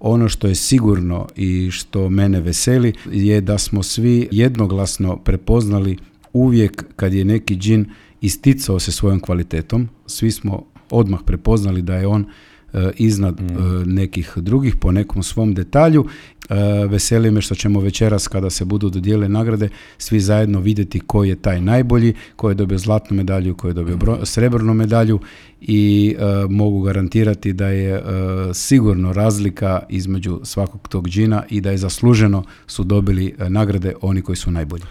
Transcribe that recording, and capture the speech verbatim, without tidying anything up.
Ono što je sigurno i što mene veseli je da smo svi jednoglasno prepoznali uvijek kad je neki džin isticao se svojom kvalitetom, svi smo odmah prepoznali da je on iznad mm. nekih drugih po nekom svom detalju. Veseli me što ćemo večeras kada se budu dodijelile nagrade svi zajedno vidjeti ko je taj najbolji, ko je dobio zlatnu medalju, ko je dobio bro- srebrnu medalju i uh, mogu garantirati da je uh, sigurno razlika između svakog tog džina i da je zasluženo su dobili uh, nagrade oni koji su najbolji.